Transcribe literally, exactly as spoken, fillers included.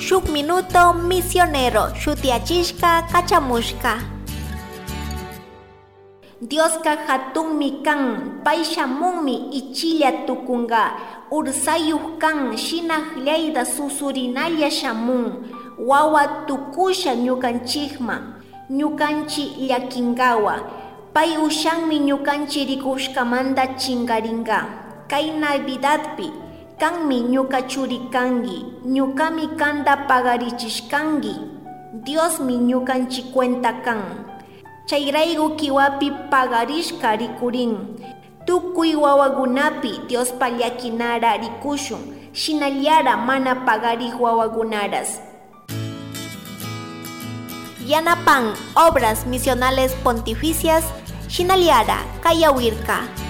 Shuk minuto misionero shutiyachishka kachamushka. Dioska hatunmi kan, pay shamunmi ichilla tukunka, ursayuk kan, shina q'ayda susurinalla shamun, wawa tukusha ñukanchikman, ñukanchik llakinkawa. Pay ushanmi ñukanchik rikushkamanta chinkarinka. Kay Navidadpi kanmi ñuka churi kanki, ñukami kanta pagarichishkanki. Diosmi ñukanchik cuenta kan. Chayrayku kiwapi pagarishka rikurin. Tukuy wawakunapi Diospa llakinara rikushun, shinallara mana pagariq wawakunaras. Yanapan Obras Misionales Pontificias, shinallara kayawirka.